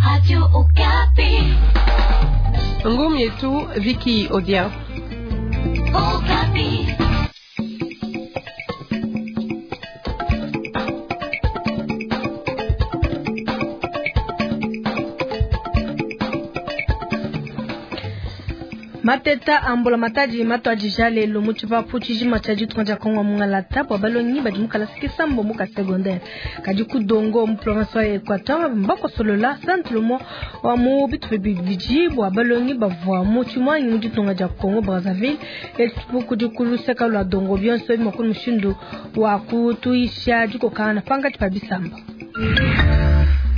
Radio Okapi. Ngumi yetu Vicky Odia. Okapi. Mateta a mbulamatadi matuadija lelu mu tshipapu tshijima tshia ditunga dia Kongo mungalata bua balongi badi mu kalasa kisambo mu ka secondaire kadi ku Dongo mu province wa Equateur mbakosolola centre wa mu bitupa bibidi bua balongi bavua mu tshimuangi mu ditunga dia Kongo Brazzaville etupu kudi ku luseka lua Dongo bionso ebi mua mushindu wa kutuisha dikokangana pankatshi pa bisamba.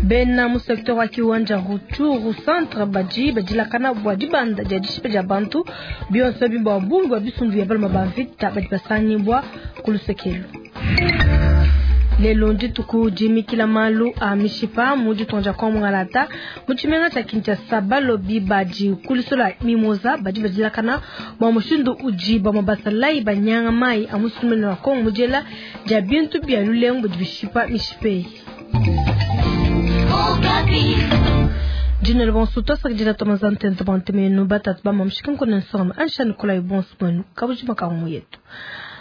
Bena mu secteur wa Kiwanja Rutshuru centre badi badilakana bua dibanda dia dishipa dia bantu bionso ebi bua bungi bua bisumbu bia baluma ba mvita badi basangibua ku lusekelu. Lelo ndituku dimikila malu a mishipa mu ditunga dia Kongo Mungalata mu tshimenga tshia Kinshasa balobi badi ku lusola Mimosa badi badilakana bua mushindu udi bamue basalayi banyanga mayi a musumenu wa Kongo mu diela dia bintu bia lulengu bidi bishipa mishipa eyi. Dina bonso twasakidila tomaza ntento bantemenu batatu bamamushika nkona nsoma ansha Nikolai bonso mwenu kabujima ka mu yetu.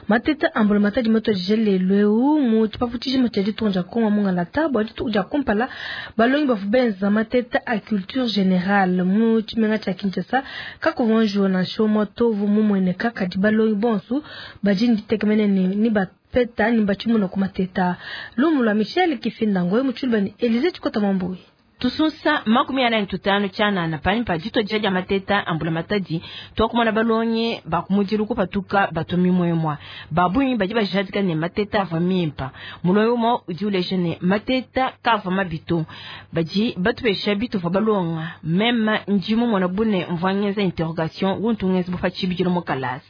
Mateta a mbulamatadi matuadija lelu eu mu tshipapu tshijima tshia ditunga dia Kongo mungalata bua dituku dia kumpala balongi bavua benza mateta a culture générale mu tshimenga tshia Kinshasa kakuvua njuwa nansha umue to uvua mumueneka kadi balongi bonso badi ne ditekemena ne bapeta ne batshimuna ku mateta. Lumu lua Michel Kifinda Ngoyi mu tshiluba ne Elise Tshikota Mwambui. Tusunsa 45 tshianana panyima pa dituadija dia mateta a mbulamatadi twakumona balongi ba kumudilu kupatuka bato mimwemwa babungi badi bajadika ne mateta avua mimpa mulongi umue udi uleja ne mateta kavua mabi to badi batupesha bituvua balonga meme ndi mumona bune mvua ngenza interrogation untu ngenza bu pa tshibidilu mu kalasa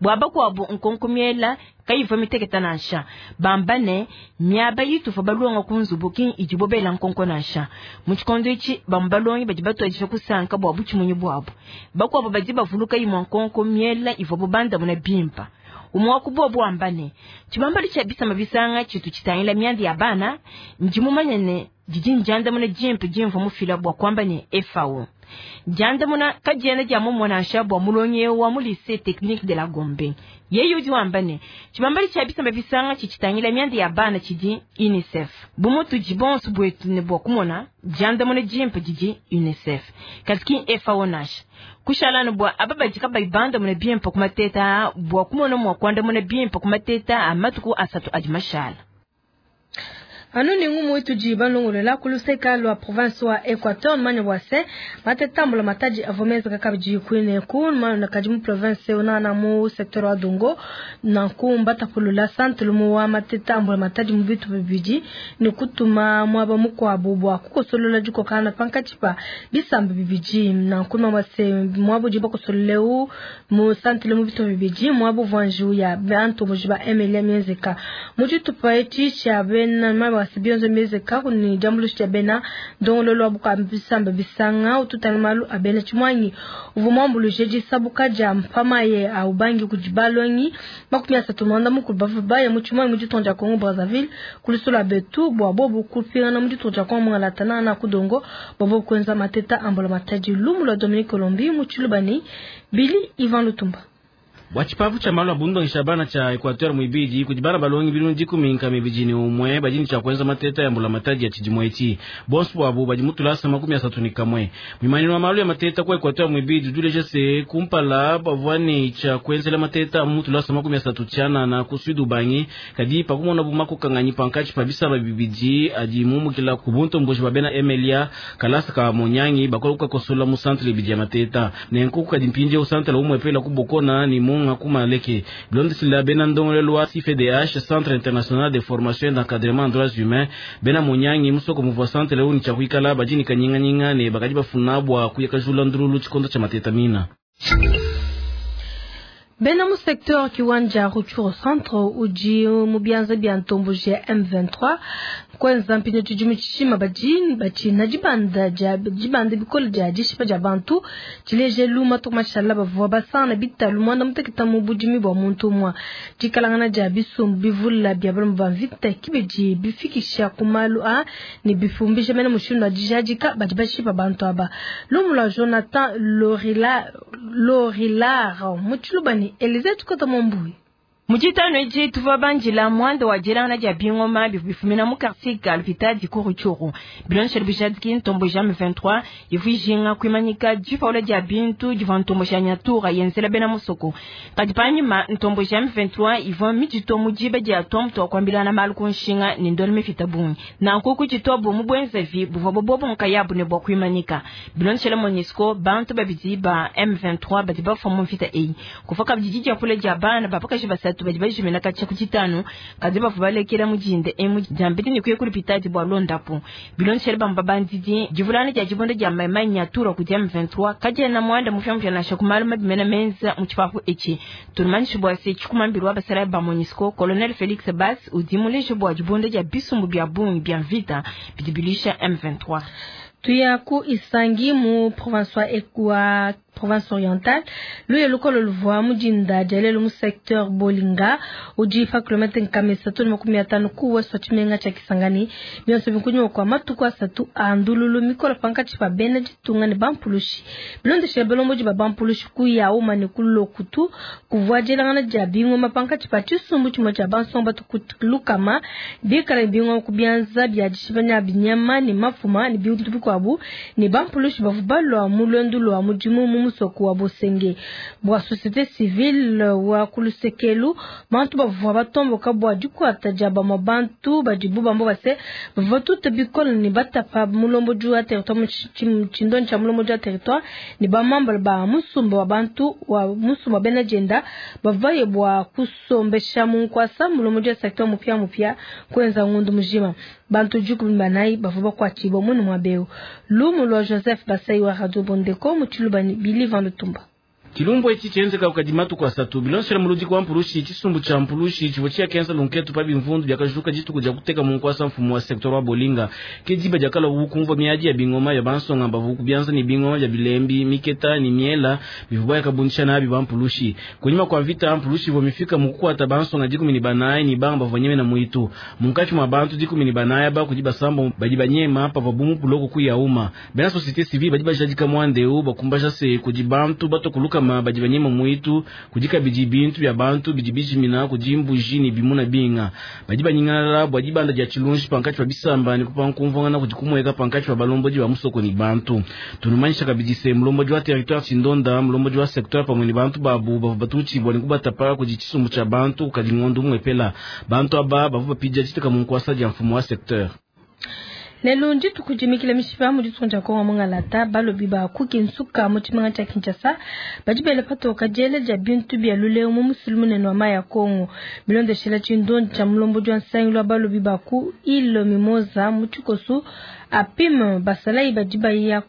bua bakuabu nkonko miela kayivua miteketa nansha bamba ne miaba ituvua balonga ku nzubu ki idibo bela nkonko nansha mu tshikondo etshi bamue balongi badi batuadija kusanka bua butshimunyi buabu bakuabu badi bavuluka imue nkonko miela ivuabu bandamuna bimpa umue wa ku bobu wamba ne tshibambalu tshia bisamba bisanga tshitu tshitangila mianda ya bana ndi mumanye ne didi ndiandamuna dimpe dimvua mufila bua kuamba ne FAO diandamuna kadiena dia mumue nansha bua mulongi eu wa mu lycée technique de la Gombe yeye udi wamba ne tshibambalu tshia bisamba bisanga tshitangila mianda ya bana tshidi UNICEF bu mutudi bonso buetu ne bua kumona diandamuna dimpe didi UNICEF kadi ki FAO nansha kushalana bua aba badi kabayi bandamuna bimpe ku mateta bua kumona mua kuandamuna bimpe ku mateta a matuku asatu adi mashala. Anu ni ngumu itudi balongolola ku luseka lua province wa Equateur manya bua se mateta a mbulamatadi avua menzeka kabidi kuineku kadi mu province unana mu secteur wa Dongo nanku mbatapulula centre lumu wa mateta a mbulamatadi mu bitupa bibidi ne kutuma muaba mukuabu bua kukosolola dikokana pankatshi pa bisamba bibidi nanku mwa se muaba udi bakosololeu mu centre mu bitupa bibidi muaba uvua njiwu ya bantu muji ba MLA mienzeka mu tshitupa etshi tshia bena maba bionso miezeka ni diambuluisha dia bena ndongololo wa buka bisamba bisanga ututanga malu a bena tshimuangi uvua muambuluishe disabuka dia mpamaye a ubangi kudi balongi 35 bavua baya mu tshimuangi mu ditunga dia Congo Brazzaville ku lusolo lua betu bua bobu kupingana mu ditunga dia Kongo mungalata na ku Dongo bua bobu kuenza mateta a mbulamatadi. Lumu lua Dominique Colombi mu tshiluba ne Billy Ivan Lutumba. Bua tshipapu tshia malu a bundongesha bana tshia Equateur muibidi kudi bana balongi 121 badi ne tshia kuenza mateta ya mbulamatadi ya tshidimu etshi bonso buabu badi mu tulasa 31 muimanyinu wa malu ya mateta ku Equateur muibidi udi uleja se kumpala bavua ne tshia kuenzela mateta mu tulasa 30 tshianana ku Sud Ubangi kadi pakumona bu makokanganyi pankatshi pa bisamba bibidi adi mumukila ku buntomboji bua bena Emilia kalasa ka Monyangi bakola kukakosola mu centre ibidi ya mateta nenku kadi mpindieu centre umue pela ku Bokona ni munga kumaleke bilondesila bena ndongolelo wa CIFDH Centre International de Formation et d'Encadrement en Droits Humains bena Monyangi musoko muvua centre eu ni tshia kuikala badi ni kanyinganyinga ne bakadi bafuna bua kuyakajula ndululu tshikondo tshia mateta mina. Bena mu secteur Kiwanja Rutshuru centre udi mu bianza bia ntomboji ya M23 Kwenza mpindieu tshidimu tshijima badi batshina dibanda dia dibanda bikole dia dishipa dia bantu. Tshilejelu matuku mashala bavua basangana bitalu muanda mutekete mu budimi bua muntu umue. Dikalangana dia bisumbu bivule bia balume ba mvita ke bidi bifikisha ku malu aa ne bipumbisha mene mushindu wa dijadika badi bashipa bantu aba. Lumu lua Jonathan Lorilla Lorillard mu Tshiluba ne Elysee Tshikota Mombuyi. Mu ditanu edi tuvua bandila muanda wa dielangana dia bingoma bivua bifumina mu quartier ka lupitadi ku Rutshuru. Bilondeshele bujadiki, ntombo ja M23 ivua ijinga kuimanyika dipawula dia bintu divua ntombo ja Nyatura yenzela bena musoko. Kadi panyima ntombo ja M23 ivua miditua mu diba dia tuamu tua kuambilangana malu ku nshinga ne ndolo mifita bungi. Nanku kudituabu mu buenzavi buvua bobo nkayabu ne bua kuimanyika. Bilondeshele MONUSCO, bantu babidi ba M23 badi bafua mu mvita eyi. Kuvua kabidi didiapula dia bana ba bakaji basatu badi bajimina katshia ku ditanu, kadi bavua balekela mu dinda emu diambedi ne kuya ku lupitadi bua londapu. Bilondeshele bamue babandidi, divulangana dia dibunda dia Mai-Mai Nyatura kudi M23 kadiena muanda mupiamupia nansha ku malu mabi mena menza mu tshipapu etshi. Tunumanyishe bua se tshikumambilu wa basalayi ba MONUSCO, Colonel Felix Bass, udi muleje bua dibunda dia bisumbu bia bungi bia mvita bidi biluisha M23. Tuya ku Isangi mu province wa Ekwa, province orientale. Luya lukolo luvua mu dinda dia lelu mu secteur Bolinga udi pa kilomètre nkama isatu ne makumi atanu ku ouest wa tshimenga tshia Kisangani. Bionso bikunyima kua matuku asatu a ndululu mikolo pankatshi pa bena ditunga ne bampulushi. Bilondeshile balombodi ba bampulushi ku Yauma ne ku Lokutu, kuvua dielangana dia bingoma pankatshi pa tshisumbu tshimue tshia bansonga batu ku lukama bikala ne bingoma ku bianza bia dishipa nabi nyama ne mafuma ne bintu bikuabu, ne bampulushi bavua balua mu luendu lua mudimu mu musoko wa Bosenge. Bua société civile wa ku lusekelu, bantu bavua batomboka bua dikuata dia bamue bantu badibu bamba base bavua batuta bikole ne batapa mulombodi wa territoire mu tshindonyi tshia mulombodi wa territoire ne bamambala ba musumba wa bantu wa musumba wa bena dienda bavaye bua kusombesha mu nkuasa mulombodi wa secteur mupia mupia kuenza ngundu mujima. Bantu 14 bavua bakuatshibua muenu muabeu. Lumu lua Joseph Basai wa Radio Bondeko mu Tshiluba ne Billy Van Lutumba. Tshilumbu etshi tshienzeka kukadi matuku asatu. Bilondeshele muludiki wa mpulushi, tshisumbu tshia mpulushi tshivua tshiakenza lunketu pa bimvundu biakajuka dituku dia kuteka mu nkuasa mfumu wa secteur wa Bolinga. Ke diba diakalua kumvua miadi ya bingoma ya bansonga bavua ku bianza ne bingoma bia bilembi, miketa ne miela bivua bayakabundisha nabi bampulushi. Kunyima kua mvita, mpulushi ivua mifika mu kukuata bansonga 14 ne banga bavua nyemena muitu. Munkatshi mua bantu 14 aba kudi basambo badi banyema pavua bu mupuloko ku Yauma. Bena société civile badi bajadika muandeu bakumbaja se kudi bantu batokuluka badi banyema muitu, kudi kabidi bintu bia bantu bidi bijimina kudi mbuji ne bimuna binga. Badi banyingalala bua dibanda dia tshilunji pankatshi pa bisamba ne kupankumvangana kudi kumueka pankatshi pa balombodi ba musoko ne bantu. Tunumanyisha kabidi se mulombodi wa territoire Tshindonda, mulombodi wa secteur pamue ne bantu babu bavua batutshibua ne kubatapa kudi tshisumbu tshia bantu kadi ngondo umuepela. Bantu aba bavua bapidia tshiteka mu nkuasa dia mfumu wa secteur. Lelu ndituku dimikila mishipa mu ditunga dia Kongo mungalata, balobi ba kukinsuka mu tshimenga tshia Kinshasa badi bela patoka diela dia bintu bia lulengu mu musulu munene wa mayi ya Kongo. Bilondeshela tshindondi tshia mulombodi wa nsangilu wa balobi ba ku Ile Mimosa mu tshikosu apime basalayi badi baya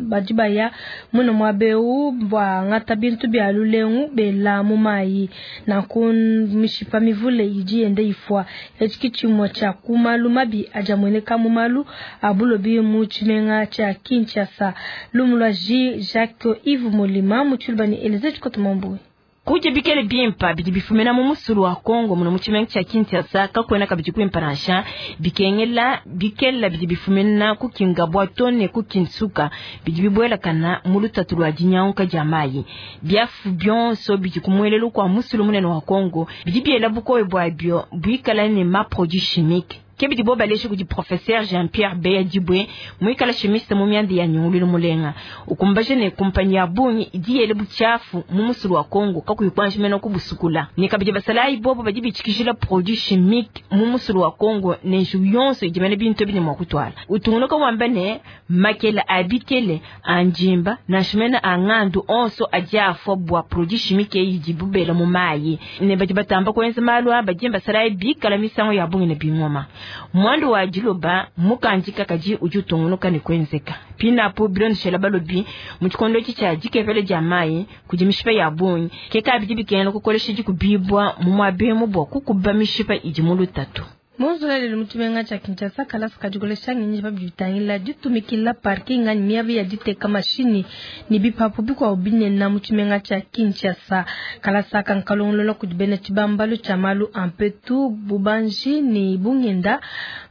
badi baya muno muabeu bua ngata bintu bia lulengu bela mu mayi. Nanku mishipa mivule idi yenda ifua. Etshi tshimue tshia ku malu mabi adi amueneka mu malu a bulobi mu tshimenga tshia Kinshasa. Lumu lua J Jacques Yves Molima mu Tshiluba ne Elysée Tshikoto Mambui. Kudya bikele bimpa bidi bifumina mu musulu wa Kongo muno mu tshimenga tshia Kinshasa kakuena kabidi kuimpa nansha. Bikengela bikela bidi bifumina ku Kingabwa to ne ku Kinsuka bidi bibuelakana mu lutatu lua dinyanguka dia mayi. Biafu bionso bidi ku muelelu kua musulu munene wa Kongo bidi biela bukowe buabio buikala ne ma produits chimiques. Ke bidibo baleshe kudi professeur Jean-Pierre Beya Dibwe muikala chimiste mu mianda ya nyungululu mulenga ukumbaje ne kumpanyi ya bungi idi yele buchafu mu musulu wa Kongo kakuyi kwanjimena kubusukula ne kabidi basalayi bobo badi bitshikijila produit chimique mu musulu wa Kongo ne nju yonso idi mene bintu bine mwa kutwala utungunuka wamba ne makela abikele anjimba nashimena angandu onso adi afwa bua produit chimique idi bubela mu mayi ne badi batamba kwenza malu aba basalayi bikala misango ya bungi ne bingoma. Mwandu wa diloba mukandika kadi udi utungunuka ne kwenzeka pinapo bilondeshela balobi mu tshikondo etshi tshia dikepele dia mayi kudi mishipa ya bungi ke kabidi bikengela kukolesha dikubibua mu muabemu bua kukuba mishipa idi mu lutatu. Mu nzubu lelu mu tshimenga tshia Kinshasa, kalasa ka dikolesha ngenyi pa bidi bitangila ditumikila parking anyi miaba ya diteka mashinyi ne bipapu bikuabu binene mu tshimenga tshia Kinshasa. Kalasa aka nkalongolola kudi bena tshibambalu tshia malu a mpetu, bubanji ne bungenda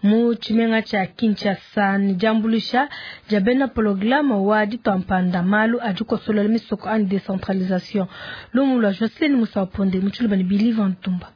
mu tshimenga tshia Kinshasa ne diambuluisha dia bena pologramme wa ditua mpanda malu a dikosolola misoko anyi decentralisation. Lumu lua Jocelyn Musaponde mu tshiluba ne Billy Van Tumba.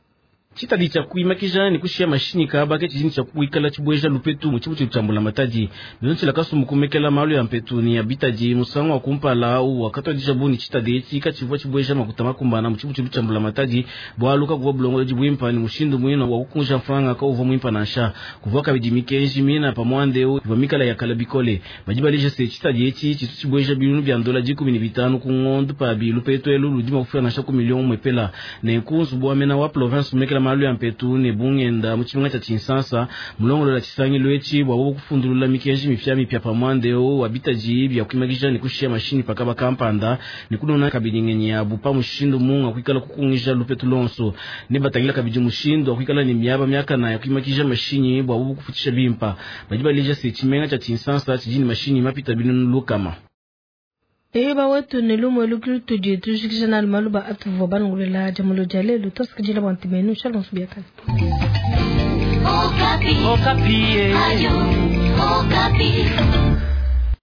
Tshitadi tshia kuimakija ne kushiya mashinyi kaba ke tshidi tshia kuikala tshibueja lupetu mu tshibutshilu tshia mbulamatadi. Bilondeshila kasumbu kumekela malu ya mpetu ne ya bitadi musangu wa kumpala wakatuadija bu ne tshitadi etshi katshivua tshibueja makuta makumbana mu tshibutshilu tshia mbulamatadi, bualu kakuvua bulongolodi buimpa ne mushindu muina wa kukunja mfranga kauvua muimpa nansha. Kuvua kabidi mikenji mina pa muanda eu ivua mikala ya kala bikole. Badi baleja se tshitadi etshi tshitu tshibueja binunu bia ndola 15 ku ngondo pabi lupetu elu ludi mua kufika nansha ku milioni umue pela. Nenku nzubu wa mena wa province umekela malu ya mpetu ne bungenda mu tshimenga tshia Tshinsansa mulongolola tshisangilu etshi bua bobo kufundulula mikenji mipia mipia pa muanda eu wa bitadi bia kuimakija ne kushiya mashinyi pakaba kampanda ne kunona kabidi ngenyi yabu pa mushindu munga kuikala kukungija lupetu lonso ne batangila kabidi mushindu wa kuikala ne miaba miakana ya kuimakija mashinyi bua bobo kufutisha bimpa. Badi baleja se tshimenga tshia Tshinsansa tshidi ne mashinyi mapita binunu lukama. Eyeba wetu ne lumwe lukulu tudi tujikija nalu maluba atuvua balongolela diamulo dia lelu tosikidila bua ntimenu shalom subiakana. Okapi. Okapi. Ayo, Okapi.